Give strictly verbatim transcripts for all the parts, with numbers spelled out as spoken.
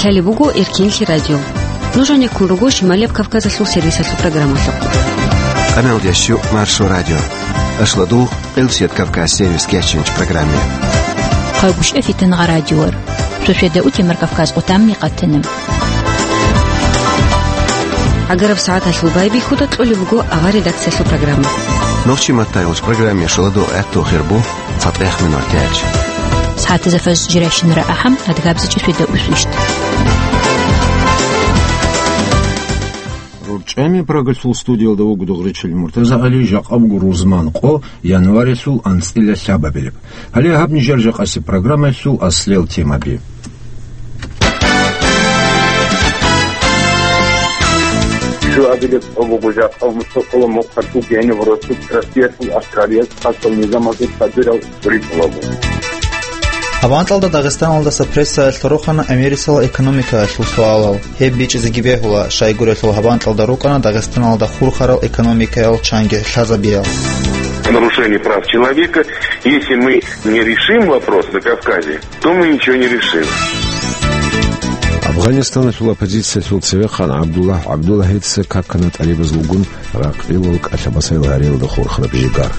Гьале буго Эркенлъи радио. Нуж гьанеккун руго Шималияб Кавказалъул сервисалъул программалъухъ. Къамел ящу Маршо радио. Ашладу Къилсият Кавказ сервис кечинч программе. Хъагушев Фитнагъа радиор. Суседа утемар Кавказ къутамни къатана. Агараб сагӀаталъул байбихьуда кьолеб буго авар редакциялъул программа. Нохчи маттайулч программе шаладу гӀатту хирбу. Фатех минутач. СагӀатазда фаз жирайщинара ахӀам, адгабзичӀи светда усвищт. РорчӀами Прагалъул студиялда вуго Дугъричил Муртазагьали, жакъа буго рузман къо, январилъул анцӀила лъабабилеб. Гьале гьаб нижер жакъаси программаялъул аслел темаби. Щуабилеб къо буго жакъа мустакъала мухъалъул гьениб росу Россиялъул аскарият хасал низамалъул хадурал ритӀулаго. Гьаб анкьалда Дагъистаналдаса прессаялъ рохана Америкасул экономикаялъул суалал. Гьеб бичӀчӀизеги бегьула, щайгурелъул гьаб анкьалда рукӀана Дагъистаналда хурхарал экономикаял чанги лъазабиял. Нарушение прав человека, если мы не решим вопрос на Кавказе, то мы ничего не решим. Афганистаналъул оппозициялъул цевехъан ГӀабдуллагь ГӀабдуллагьица какана тӀалибазулгун ракъилал кӀалъабасайил гьариялда хурхараб жигар.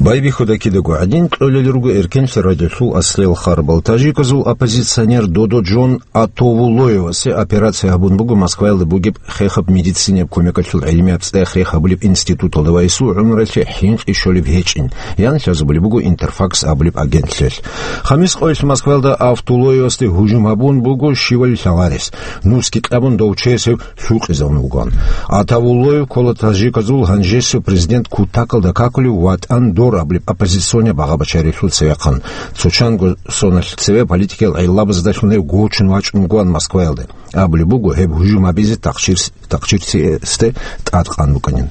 Байбихьуда кидаго гӀадин кьолел руго Эркенлъи радиолъул аслел харбал. Тажиказул оппозиционер Додо Джон Атовуллоевасе операция гьабун буго Москваялда бугеб хехаб медицинаб кумекалъул гӀилмияб цӀех рехъ гьабулеб институталда ва гьесул гӀумралъе хӀинкъи щолеб гьечӀин, ян лъазабулеб буго Интерфакс абулеб агентлъиялъ. Хамис къоялъ Москваялда Атовуллоевасде гьужум гьабун буго щивали лъагъарес. Нусги кьабун дов чияс гьев лъукъизавун вугоан. Атовуллоев ккола тажиказул гьанжесев президент кутакалда какулев ВатӀан дор абулеб оппозиционный багъа-бачарилъул цевехъан. Цо чанго соналъ цеве политикиял гӀиллабаздалъун гьев гочун вачӀун вугоан Москваялде. Абулеб буго, гьеб гьужум гьабизе тахчир-, тахчирциясде тӀадкъан букӀанин.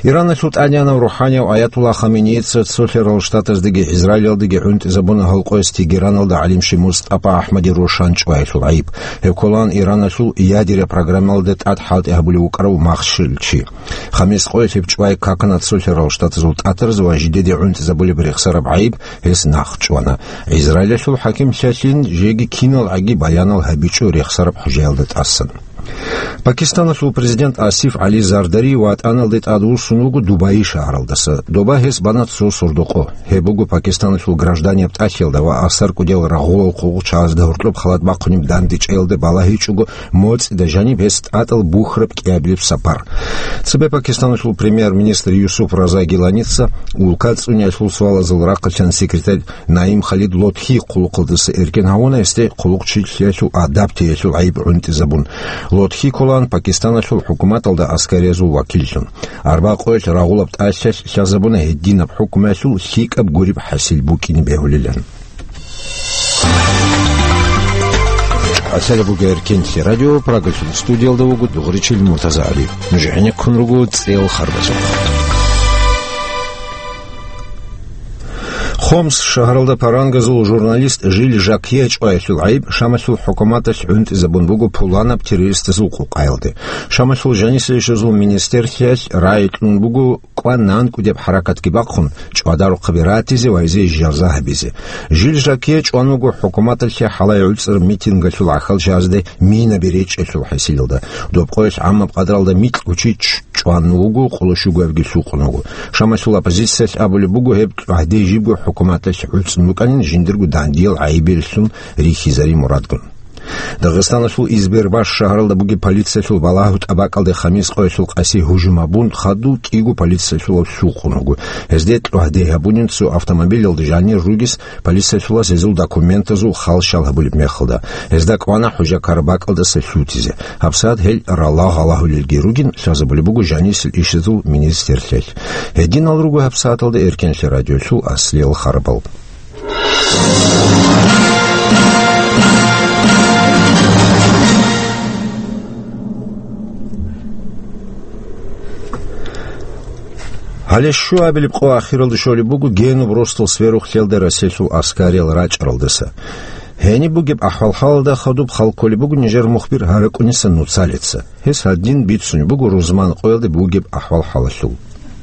Ираналъул тӀадегӀанав рухӀанияв Аятулла Хаменеица цолъарал штатаздеги Израилалдеги гӀунтӀизабуна гьал къояс Тегераналда гӀалимщи МустӀапа АхӀмади Рошан чӀваялъул гӀайиб. Гьев кколаан Ираналъул ядеря программалда тӀад хӀалтӀи гьабулев вукӀарав махщел чи. Хамис къоялъ гьеб чӀвай какана цолъарал штатазул тӀатарз ва жидеде гӀунтӀизабулеб рехсараб гӀайиб гьес нахъ чӀвана. Израилалъул хӀакимлъиялъин жеги кинал гӀаги баянал гьабичӀо рехсараб хӀужаялда тӀасан. Пакистаналъул президент Асиф ГӀали Зардари ВатӀаналде тӀадвуссун вуго Дубай шагьаралдаса. Доба гьес бана цо сордо къо. Гьеб буго Пакистаналъул гражданияб тӀалъиялда ва асар кӀудиял рагъулал хъугъучагӀазда гьоркьоб халат бахъунеб дандечӀеялда балагьичӀого моцӀида жаниб гьес тӀатӀал бухьараб кӀиабилеб сапар. Цебе Пакистаналъул премьер-министр Юсуф Раза Гиланица улка цӀуниялъул суалазул рахъалъан секретарь Наим Халид Лотхи хъулухъалдаса эркен гьавуна гьесде хъулухъчилъиялъул адаб теялъул гӀайиб гӀунтӀизабун. Лотхи кколаан Пакистаналъул хӀукуматалда аскариязул вакиллъун. Арба къоялъ рагъулаб тӀалъиялъ лъазабуна гьединаб хӀукмуялъул лъикӀаб гуреб хӀасил букӀине бегьулилан. Асала буго Эркенлъи радио, Прагалъул студиялда вуго Дугъричил Муртазагьали. Нуж гӀенеккун руго цӀел харбазухъ. Хомс шагьаралда парангазул журналист Жиль Жакье чӀваялъул гӀайиб Шамалъул хӀукуматалъ гӀунтӀизабун буго пуланаб террористазул къукъаялде. Шамалъул жанисейщазул министерлъиялъ рагӀи кьун буго кӀван-нанкӀкӀудеб хӀаракатги бахъун, чӀвадарухъаби ратизе ва гьезие жаза гьабизе. Жиль Жакье чӀван вуго хӀукуматалъе хӀалай гӀуцӀараб митингалъул гӀахьалчагӀазде минаби речӀчӀалъул хӀасилалда. Доб къоялъ гӀаммаб къадралда микьго чи чӀван вуго, къоло щугоябги лъукъун вуго. Шамалъул оппозициялъ абулеб буго, гьеб гӀагьде жибго хӀукуматалъ гӀуцӀун букӀанин жиндирго дандиял гӀайибилелъун рихьизари мурадгун. Дагъистаналъул Избербаш шагьаралда бугеб полициялъул балагьу тӀабакӀалде хамис къоялъул къаси гьужум гьабун, хадув кӀиго полициялъулав лъукъун вуго. Гьезде гӀагьде гьабунин цо автомобилалда жанир ругес полициялъулас гьезул документазул халщал гьабулеб мехалда. Гьезда кӀвана хӀужа ккараб бакӀалдаса лъутизе. ГьабсагӀат гьел рала гъалагьулелги ругин, лъазабулеб буго жанисел ишазул министерлъиялъ. Гьединал руго гьабсагӀаталда Эркенлъи радиолъул аслиял харбал. Гьале щуабилеб къо ахиралда щолеб буго Генуб росдал сверухълъиялда Россиялъул аскариял рачӀаралдаса. Гьениб бугеб ахӀвал-хӀалалда хадуб хал кколеб буго нижер мухбир Гьаракуниса Нуцалица. Гьес гьадин бицунеб буго рузман къоялда бугеб ахӀвал-хӀалалъул.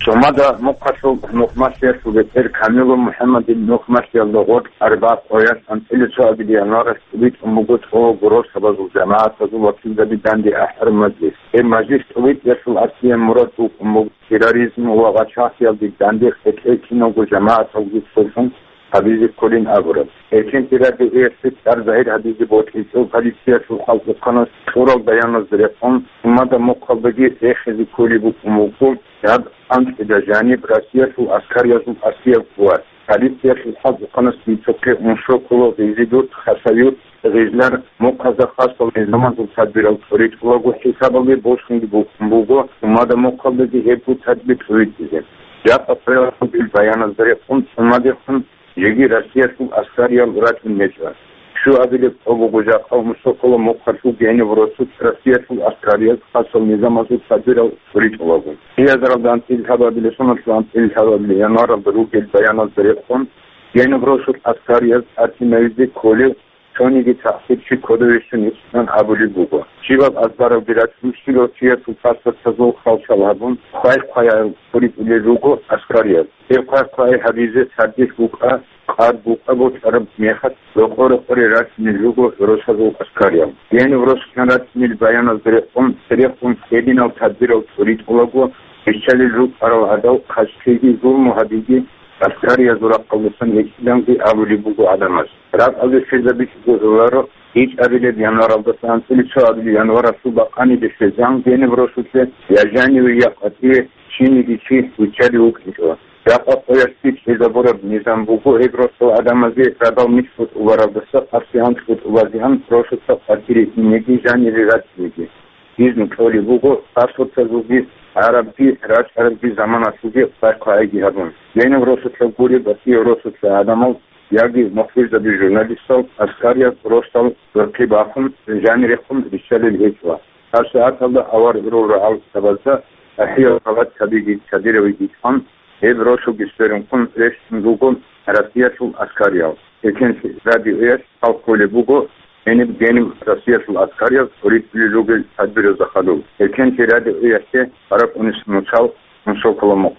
Цумада мухъалъул нухмалъиялъул бетӀер Камилов МухӀаммадил нухмалъиялда гъоркь арбагъ къоялъ анцӀила цо абилеб январалъ тӀубитӀун буго цо гуросабазул жамагӀатазул вакилзаби данде ахӀараб мажлис. Гьеб мажлис тӀубитӀиялъул аслияб мурад букӀун буго терроризм ва гъачагӀлъиялде данде къечӀей киналго жамагӀаталги цолъун гьабизе кколин абураб. Эркенлъи радиоялъе цӀар загьир гьабизе бокьичӀо полициялъул хӀалкӀухъанас кьурал баяназда рекъон, цумада мухъалдаги рехизе кколеб букӀун буго гьаб анцӀила жаниб Россиялъул аскариязул аслияб кӀвар. Полициялъул хӀалкӀухъанас бицухъе Уншоколо, Гъизидурт, Хасавюрт, Гъижлар мухъазда хасал низамазул тадбирал цӀоритӀулаго хӀисабалде босунги букӀун буго, цумада мухъалдаги гьебго тадбир цӀоритӀизе. Жакъа цояб гьабил баяназда рекъон цумадехун жеги Россиялъул аскариял рачӀун гьечӀо. Щуабилеб цо буго жакъа Уншоколо мухъалъул Гениб росулъ Россиялъул аскарияз хасал низамазул тадбирал цӀоритӀулаго. Кьиязаралда анцӀила лъабабилеб, соналъул анцӀила лъабабилеб январалда ругел баяназда рекъон, Гениб росулъ аскарияз тӀатинавизе кколев цониги тахсирчи кодове щун гьечӀилан абулеб буго. Щибаб азбаралги рачӀун, щибав чиясул паспортазул хвалчал гьабун, хъвай-хъвай гьарун цӀоритӀулел руго аскарияз. Гьеб хъвай-хъвай гьабизе цадехъ букӀа, къад букӀа бокьараб мехалъ, рокъо-рокъоре рачӀунел руго росазул аскариял. Гениб росулъан рачӀунел баяназда рекъон, церехун гьединал тадбирал цӀоритӀулаго, биччалел рукӀарал гӀадал хъачӀлъиги зулму гьабиги аскариязул рахъалдасан гьечӀиланги абулеб буго гӀадамаз. Ракьалде щвезабичӀого гӀоларо, ичӀабилеб январалдаса анцӀила цо абилеб январалъул бакъаниде щвезан Гениб росулъе я жаниве, я къватӀиве чиниги чи виччалев вукӀинчӀо. Жакъа къоялъги чӀезабураб низам буго гьеб росул гӀадамазе радал микьго тӀубаралдаса къасигӀан тӀубазегӀан росуца къватӀире инеги жанире рачӀинеги. Гьезул кьолеб буго паспортазулги гӀарабги рачӀарабги заманалъулги хъвай-хъвайги гьабун. Гениб росулъа гуреб ва кӀияб росулъа гӀадамал яги мухӀбирзаби журналистал, аскариял росдал рорхъи бахун, жанирехун риччалел гьечӀо. ГьабсагӀаталда авар гӀурул рагӀалдабазда ахӀиял халатабиги цадиравиги тӀан, гьеб росулги сверун ккун рещтӀун руго Россиялъул аскариял. Эркенлъи радиоялъ хал кколеб буго гьениб-гьениб Россиялъул аскариял цӀоритӀулел ругел тадбиразда хадуб. Эркенлъи радиоялъе гьаракь унес нуцал Уншоколо мухъ.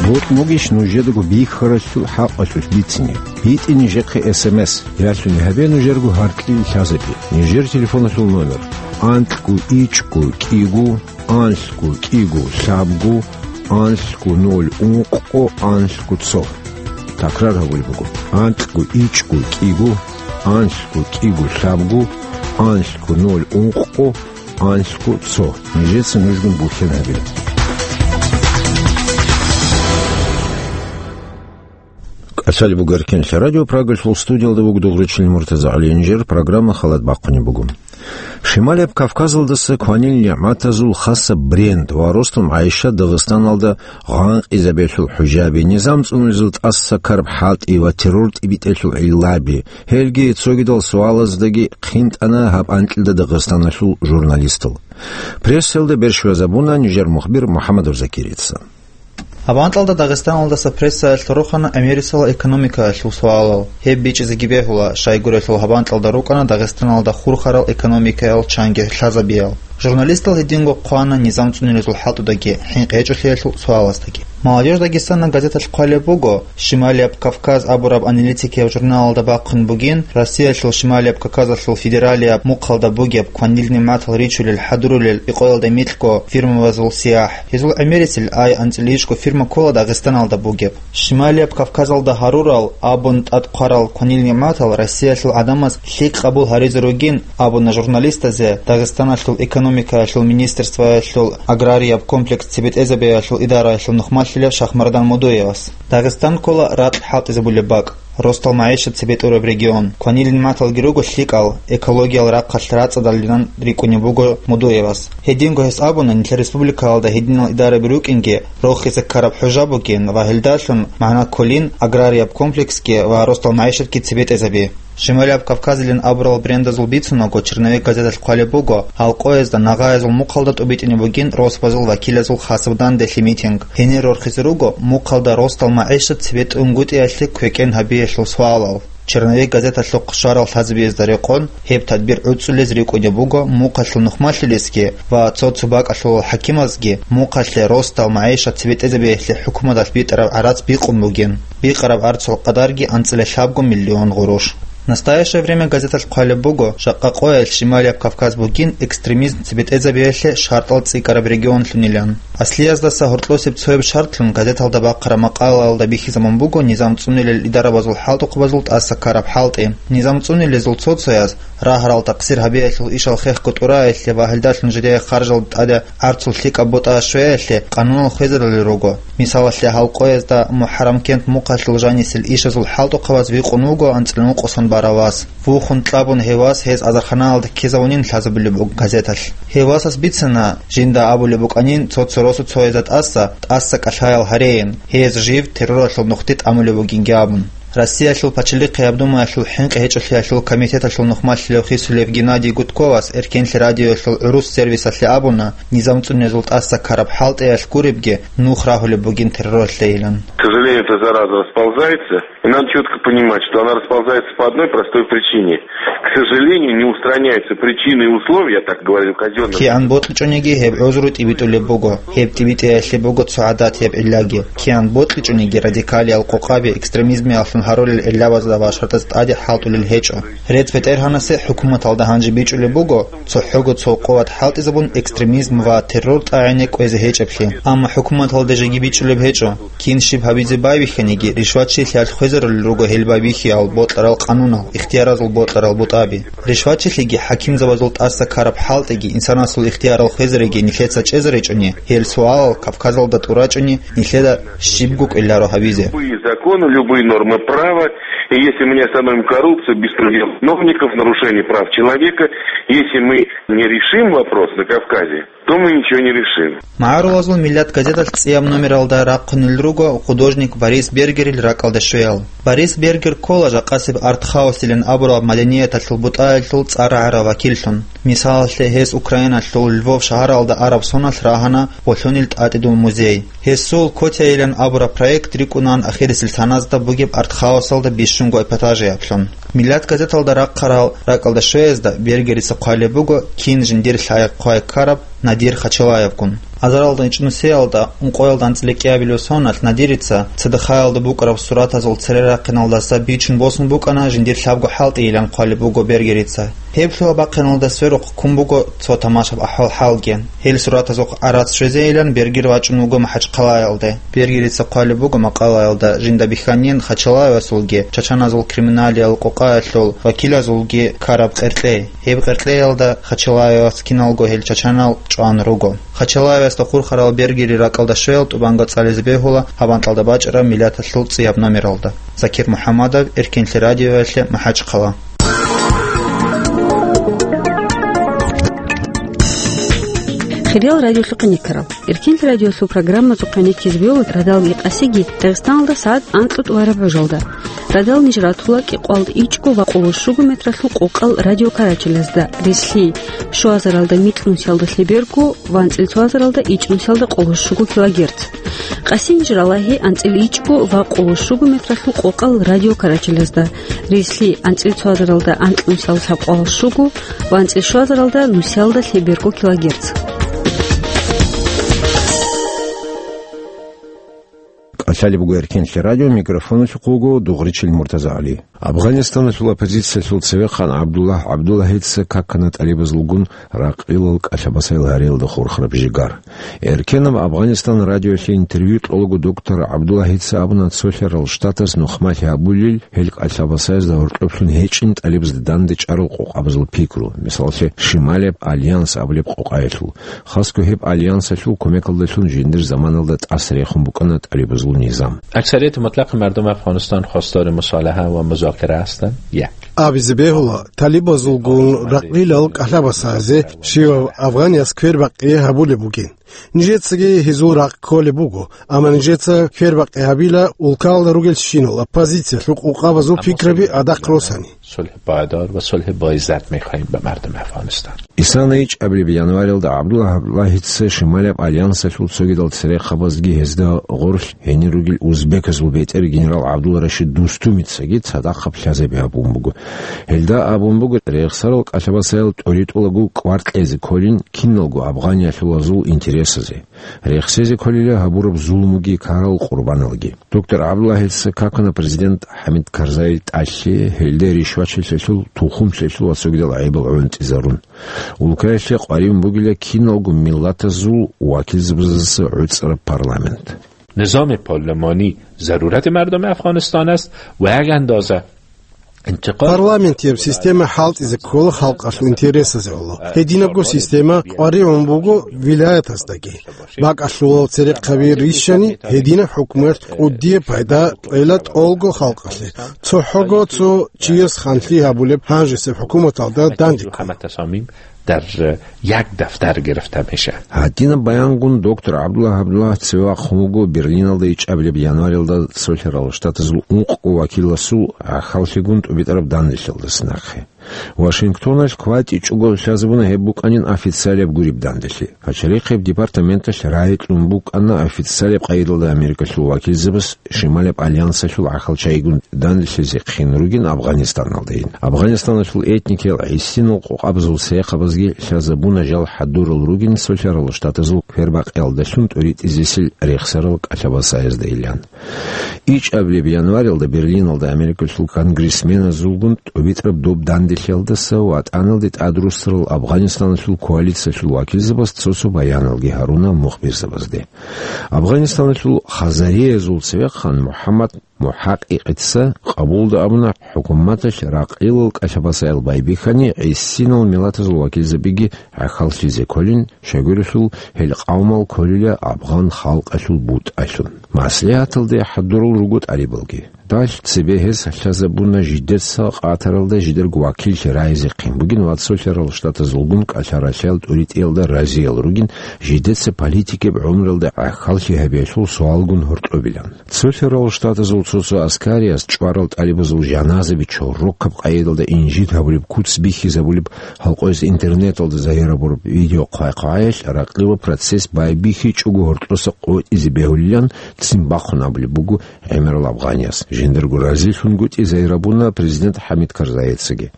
Бокьугищ нужедаго бихьаралъул хӀакъалъулъ бицине? БитӀе нижехъе эс эм эс, ялъуни гьабе нужерго гьаркьил лъазабе. Нижер телефоналъул номер: анлъго ичӀго кӀиго, анлъго кӀиго лъабго, анлъго ноль ункъго, анлъго цо. Такрар гьабулеб буго: анлъго ичӀго кӀиго, анлъго кӀиго лъабго, анлъго ноль ункъго, анлъго цо. Нижеца нужгун бухьен гьабила. КӀалъалеб буго Эркенлъи радио, Прагалъул студиялда вуго дугӀручилин МуртазагӀалиев. Нижер программа халат бахъунеб буго. Шималияб Кавказалдаса кванил нигӀматазул хасаб бренд ва росдал магӀишат Дагъистаналда гъанкъизабиялъул хӀужаби, низам цӀунулезул тӀаса караб хӀалтӀи ва террор тӀибитӀелъул гӀиллаби, гьелги цогидал суалаздаги хъинтӀана гьаб анкьида Дагъистаналъул журналистал. Прессалда берщвазабуна нижер мухбир МухӀаммадов Закирица. Гьаб анкьалда Дагъистаналдаса прессаялъ рохана Америкасул экономикаялъул суалал. Гьеб бичӀчӀизеги бегьула, щайгурелъул гьаб анкьалда рукӀана Дагъистаналда хурхарал экономикаял чанги лъазабиял. Журналистал гьединго хъвана низам цӀунилезул хӀалтӀудаги, хӀинкъи гьечӀолъиялъул суалаздаги. Молодёжь Дагестана газеталъ хъвалеб буго, Шималияб Кавказ абураб аналитикияб журналалда бахъун бугин, Россиялъул Шималияб Кавказалъул федералияб мухъалда бугеб кванил нигӀматал ричулел хӀадурулел икъоялда микьго фирмабазул сияхӀ. Гьезул гӀемерисел ай анцӀила ичӀго фирма ккола Дагъистаналда бугеб. Шималияб Кавказалда гьарурал абун тӀад хъварал кванил нигӀматал Россиялъул гӀадамаз лъикӀ къабул гьаризе ругин, абуна журналистазе Дагъистаналъул экономикаялъул министерствоялъул аграрияб комплекс цебетӀезабиялъул идараялъул нухмалъилав Шахмардан Мудуевас. Дагъистан ккола ракь хӀалтӀизабулеб бакӀ, росдал магӀишат цебетӀураб регион. Кванил нигӀматалги руго лъикӀал, экологиял рахъалъ рацӀцӀадалилан рикӀкӀунеб буго Мудуевас. Гьединго гьес абуна, нилъер республикаялда гьединал идараби рукӀинги, рохизе ккараб хӀужа бугин ва гьелдалъун магӀна кколин аграрияб комплексги ва росдал магӀишатги цебетӀезаби. Шималияб Кавказилин абурал брендазул бицунаго, «Черновик» газеталъ хъвалеб буго, гьал къоязда нагъаязул мухъалда тӀубитӀине бугин росбазул вакилазул хасаб данделъи митинг. Гьенир рорхизе руго мухъалда росдал магӀишат цебетӀунгутӀиялъе квекӀен гьабиялъул суалал. Черновик газеталъухъ щварал лъазабиязда рекъон, гьеб тадбир гӀуцӀулез рикӀкӀунеб буго мухъалъул нухмалъилесги ва цо-цо бакӀалъулал хӀакимазги мухъалъе росдал магӀишат цебетӀезабиялъе хӀукуматалъ битӀараб гӀарац бикъун бугин. Бикъараб гӀарцул къадарги анцӀила лъабго миллион гъурущ. «Настоящее время» газеталъ хъвалеб буго, жакъа къоялъ Шималияб Кавказ бугин экстремизм цебетӀезабиялъе шартӀал цӀикӀкӀараб регионлъунилан. Аслияздаса гьоркьосеб цояб шартлъун газеталда бахъараб макъалаялда бихьизабун буго низам цӀунилел идарабазул хӀалтӀухъабазул тӀаса ккараб хӀалтӀи. Низам цӀунилезул цо-цояз рагьарал такъсир гьабиялъул ишал хехго тӀураялъе ва гьелдалъун жидее харжалда тӀаде гӀарцул лъикӀаб бутӀа щвеялъе къануналъ хвезарулел руго. Мисалалъе, гьал къоязда МухӀаррамкент мухъалъул жанисел ишазул хӀалтӀухъабаз викъун вуго анцӀила нукъосан барав вас. Вухун кьабун гьев вас гьез азарханаялда ккезавунин лъазабулеб буго газеталъ. Гьев васас бицана, жинда абулеб букӀанин цо-цо росу цоязда тӀаса, тӀаса кӀалъаял гьареян, гьез жив терроралъул нухде тӀамулеб бугинги абун. Россиялъул пачалихъияб думаялъул хӀинкъи гьечӀолъиялъул комитеталъул нухмалъилев хисулев Геннадий Гудковас Эркенлъи радиоялъул гӀурус сервисалъе абуна, низам цӀунезул тӀаса ккараб хӀалтӀиялъ гуребги нух рагьулеб бугин терроралъейилан. К сожалению, эта зараза расползается. И надо четко понимать, что она расползается по одной простой причине. К сожалению, не устраняются причины и условия, я так говорю, казённым. КигӀан бокьичӀониги гьеб гӀузру тӀибитӀулеб буго. Гьеб тӀибитӀиялъе буго цо гӀадатияб гӀиллаги. КигӀан бокьичӀониги радикалиял къокъаби экстремизмиялъун гьарулел гӀиллагазда ва шартӀазда тӀаде хӀалтӀулел гьечӀо. РецбетӀергьанасе хӀукуматалда гьанже бичӀчӀулеб буго цохӀого цо къуват хӀалтӀизабун экстремизм ва террор тӀагӀине кӀвезе гьечӀеблъи. Амма хӀукуматалда жеги бичӀчӀулеб гьечӀо. Кин щиб гьабизе байбихьаниги, ришватчилъиялъ хвезарулел руго гьел байбихьиял бокьарал къанунал, ихтияразул бокьарал бутӀаби. Ришватчилъиги хӀакимзабазул тӀаса ккараб хӀалтӀиги, инсанасул ихтиярал хвезариги нилъеца чӀезаричӀони, гьел суалал Кавказалда тӀурачӀони нилъеда щибго кӀвеларо гьабизе. Любые законы, любые нормы права, и если мы не остановим коррупцию, беспредел чиновников, нарушение прав человека, если мы не решим вопрос на Кавказе, то мы ничего не решим. МагӀарулазул миллат газеталъ цӀияб номералда рахъунел руго художник Борис Бергерил ракӀалда щвеял. Борис Бергер ккола жакъасеб артхаусилан абураб маданияталъул бутӀаялъул цӀар рагӀарав вакиллъун. Мисалалъе, гьес Украиналъул Львов шагьаралда араб соналъ рагьана гъолъунил тӀатӀидул музей. Гьесул «Котяйилан» абураб проект рикӀкӀунаан ахирисел саназда бугеб артхаусалда бищунго эпатажияблъун. Миллат газеталда рахъарал ракӀалда щвеязда Бергерица хъвалеб буго кин жиндир лъай-хъвай ккараб Надир Хачалаевгун. Азаралда ичӀнусиялда ункъоялда анцӀила кӀиабилеб соналъ Надирица ЦДХ-ялда букӀараб суратазул цере рахъиналдаса бичун босун букӀана жиндир лъабго хӀалтӀийилан хъвалеб буго Бергерица. Гьеб лъугьа-бахъиналда сверухъ ккун буго цо тамашаб ахӀвал-хӀалги. Гьел суратазухъ гӀарац щвезейилан Бергер вачӀун вуго МахӀачхъалаялде. Бергерица хъвалеб буго макъалаялда жинда бихьанин Хачалаевасулги, чачаназул криминалиял къокъаялъул вакилазулги ккараб къеркьей. Гьеб къеркьеялда Хачалаевас киналго гьел чачанал чӀван руго. Хачалаевасда хурхарал Бергери ракӀалда щвеял тӀубанго цӀализе бегьула гьаб анкьалда бачӀараб миллаталъул цӀияб номералда. Закир МухӀаммадов, Эркенлъи радиоялъе, МахӀачхъала. Хириял радиолъухъ гӀенеккарал. Эркенлъи радиолъул программазухъ гӀенеккизе бегьула радалги къасиги Дагъистаналда сагӀат анкьго тӀубараб гӀужалда. Радал ниж ратула кӀикъоялда ичӀго ва къоло щуго метралъул къокъал радиокарачелазда, рислъи, щуазаралда микьнусиялда лъеберго ва анцӀила цоазаралда ичӀнусиялда къоло щуго килогерц. Къасин ниж ралагьи анцӀила ичӀго ва къоло щуго метралъул къокъал радиокарачелазда, рислъи, анцӀила цоазаралда анкьнусиялда лъабкъоялда щуго ва анцӀила щуазаралда нусиялда лъеберго килогерц. КӀалъалеб буго Эркенлъи радио, микрофоналъухъ вуго Дугъричил МуртазагӀали. Афганистаналъул оппозициялъул цевехъан ГӀабдуллагь ГӀабдуллагьица какана тӀалибазулгун ракъилал кӀалъа-басайл гьариялда хурхараб жигар. Эркенаб Афганистан радиоялъе интервью кьолаго доктор ГӀабдуллагьица абуна, цолъарал штатаз нухмалъи гьабулел гьел кӀалъа-басаязда гьоркьоблъун гьечӀин тӀалибазда данде чӀарал къокъабазул пикру, мисалалъе, Шималияб альянс абулеб къокъаялъул. Хасго гьеб альянсалъул кумекалдалъун жиндир заманалда тӀаса рехун букӀана тӀалибазул низам. اکثریت مطلق مردم افغانستان خواستار مصالحه و مذاکره هستند. یک. Абизе бегьула, талибазулгун ракъилал кӀалъа-басазе щивав афганияс квербакъи гьабулеб бугин. Нижецаги гьезул ракъ кколеб буго, амма нижеца квербакъи гьабила улкалда ругелщинал оппозициялъул къокъабазул пикраби гӀадахъ росани. صلح پایدار و صلح باعزت می‌خواهیم به مردم افغانستان. Исана ичӀабилеб январалда ГӀабдулла ГӀабдуллагьица Шималияб альянсалъул цогидал церехъабазги гьезда гъорлъ гьенир ругел узбеказул бетӀер генерал ГӀабдулла Рашид Дустумицаги цадахъаб лъазаби гьабун буго. Гьелда абун буго, рехсарал кӀалъабасаял тӀоритӀулаго кӀвар кьезе кколин киналго афгъаниялъулазул интересазе. Рехсезе кколила гьабураб зулмуги ккарал къурбаналги. Доктор ГӀабдуллагьица какана президент ХӀамид Карзай тӀалъи, гьелда ришвачилъалъул, тухумлъалъул ва цогидал гӀайибал гӀунтӀизарун. Улкаялъе къваригӀун бугила киналго миллатазул вакилзабаздаса гӀуцӀараб парламент. نظام پارلمانی ضرورت مردم افغانستان است و یک اندازه انتقال Парламентияб система хӀалтӀизе ккола халкъалъул интересазе гӀоло. Гьединабго система къваригӀун буго вилаятаздаги. БакӀалъулал церехъаби рищани, гьединаб хӀукумат кӀудияб пайда кьела тӀолго халкъалъе. ЦохӀого цо чияс ханлъи гьабулеб гьанжесеб хӀукуматалда данде ккола. در یک دفتر گرفته می‌شه. Гьадинаб баянгун доктор ГӀабдулла ГӀабдуллагь цеве вахъун вуго Берлиналда ичӀабилеб январалда цолъарал штатазул ункъго вакиласул гӀахьаллъигун тӀубитӀараб данделъиялдаса нахъе. Вашингтоналъ кватӀичӀого лъазабуна гьеб букӀанин официалияб гуреб данделъи. Пачалихъияб департаменталъ рагӀи кьун букӀана официалияб къайдалда Америкалъул вакилзабаз Шималияб альянсалъул гӀахьалчагӀигун данделъизе хъин ругин Афгъанистаналдайин. Афгъанистаналъул этникиял гӀисинал къокъабазул церехъабазги лъазабуна жал хӀадурал ругин цолъарал штатазул квербакъиялдалъун тӀоритӀизесел рехсарал кӀалъабасаязда илан. ИчӀабилеб январалда Берлиналда Америкалъул конгрессменазулгун тӀубитӀараб доб данделъиялдаса ВатӀаналде тӀадруссарал Афгъанистаналъул коалициялъул вакилзабаз цо-цо баяналги гьаруна мухбирзабазде. Афгъанистаналъул хазариязул цевехъан МухӀаммад МухӀакъикъица къабулда абуна хӀукуматалъ ракъилал кӀалъабасаял байбихьани гӀисинал миллатазул вакилзабиги гӀахьаллъизе кколин, щайгурелъул гьел къавмал кколила афгъан халкъалъул бутӀалъун. МаслихӀаталде хӀадурал руго тӀалибалги. Далъ цебе гьез лъазабуна жидеца къатаралда жидерго вакиллъи рагӀизе хъин бугин ва цолъарал штатазулгун кӀалъаралъиял тӀуритӀиялда разиял ругин, жидеца политикияб гӀумралда гӀахьаллъи гьабиялъул суалгун гьоркьобилан. Цолъарал штатазул цо-цо аскариялъ чӀварал тӀалибазул жаназаби чорокаб къайдалда инжит гьабулеб, куц бихьизабулеб, гьалкъояс интернеталда загьир гьабураб видео хъвай-хъвагӀаялъ ракълила процесс байбихьичӀого гьоркьоса къотӀизе бегьулилан ццин бахъун абулеб буго гӀемерал афгъанияс. Жиндирго разилъунгутӀи загьир гьабуна президент ХӀамид Карзайицаги.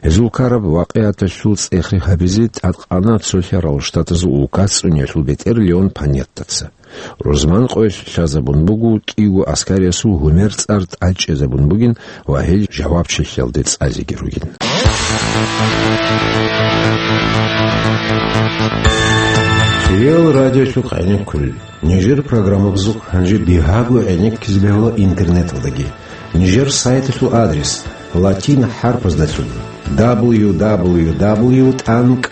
Гьезул ккараб вакъигӀаталъул цӀех гьабизе тӀадкъана цолъарал штатазул улкаца цӀуниялъул бетӀер Леон Панеттаца. Рузман къоялъ лъазабун буго кӀиго аскариясул гьумер цӀар тӀадчӀезабун бугин ва гьел жавабчилъиялде цӀазеги ругин. Кирил радиолъухъ гӀенеккулел. Нижер программабазухъ гьанже бигьаго гӀенеккизе бегьула интернеталдаги. Нижер сайталъул адрес латин хӀарпаздалъун: дабл ю дабл ю дабл ю тӀанкӀ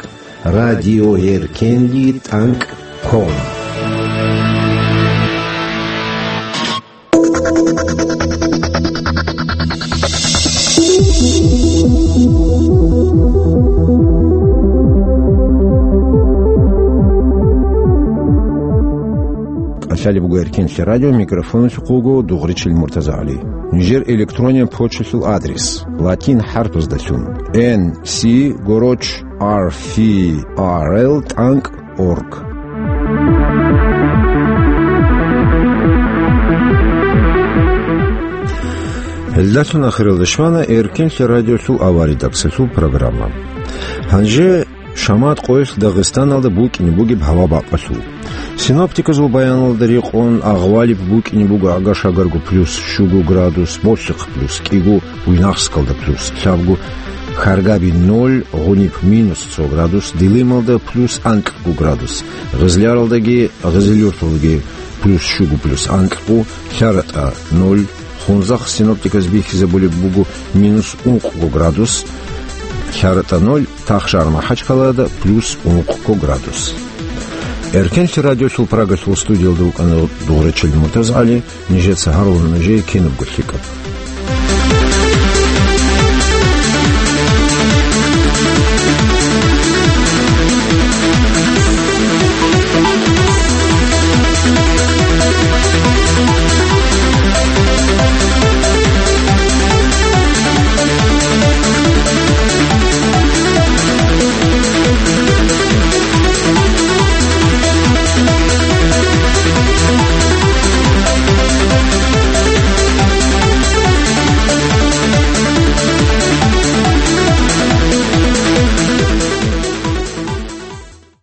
радиоэркенлъи тӀанкӀ ком. КӀалъалеб буго Эркенлъи радио, микрофоналъухъ вуго Дугъричил МуртазагӀали. Нижер электронный почталъул адрес: латин хӀарпаздалъун: Н С горочь ар фи ар эл тӀанкӀ орг. Гьелдалъун ахиралда щвана Эркенлъи радиолъул аваридаксалъул программа. Гьанже шамат къоялъ Дагъистаналда букӀине бугеб гьава бакӀалъул. Синоптиказул баяналда рекъон, агъвалиб букӀине буго Агашагарго плюс щуго градус, Молъихъ плюс кӀиго, Буйнакскалда плюс лъабго, Харгаби ноль, Гъуниб минус цо градус, Дилималда плюс анкьго градус, Гъизляралдаги Гъизилюрталдаги плюс щуго, плюс анкьго, ЛъаратӀа ноль, Хунзахъ синоптиказ бихьизабулеб буго минус ункъго градус, ЛъаратӀа ноль, Тахшар МахӀачкалада плюс ункъго градус. Эркенлъи радиолъул Прагалъул студиялда вукӀана Дугъричил МуртазагӀали, нижеца гьарулел нужее кинабго лъикӀаб.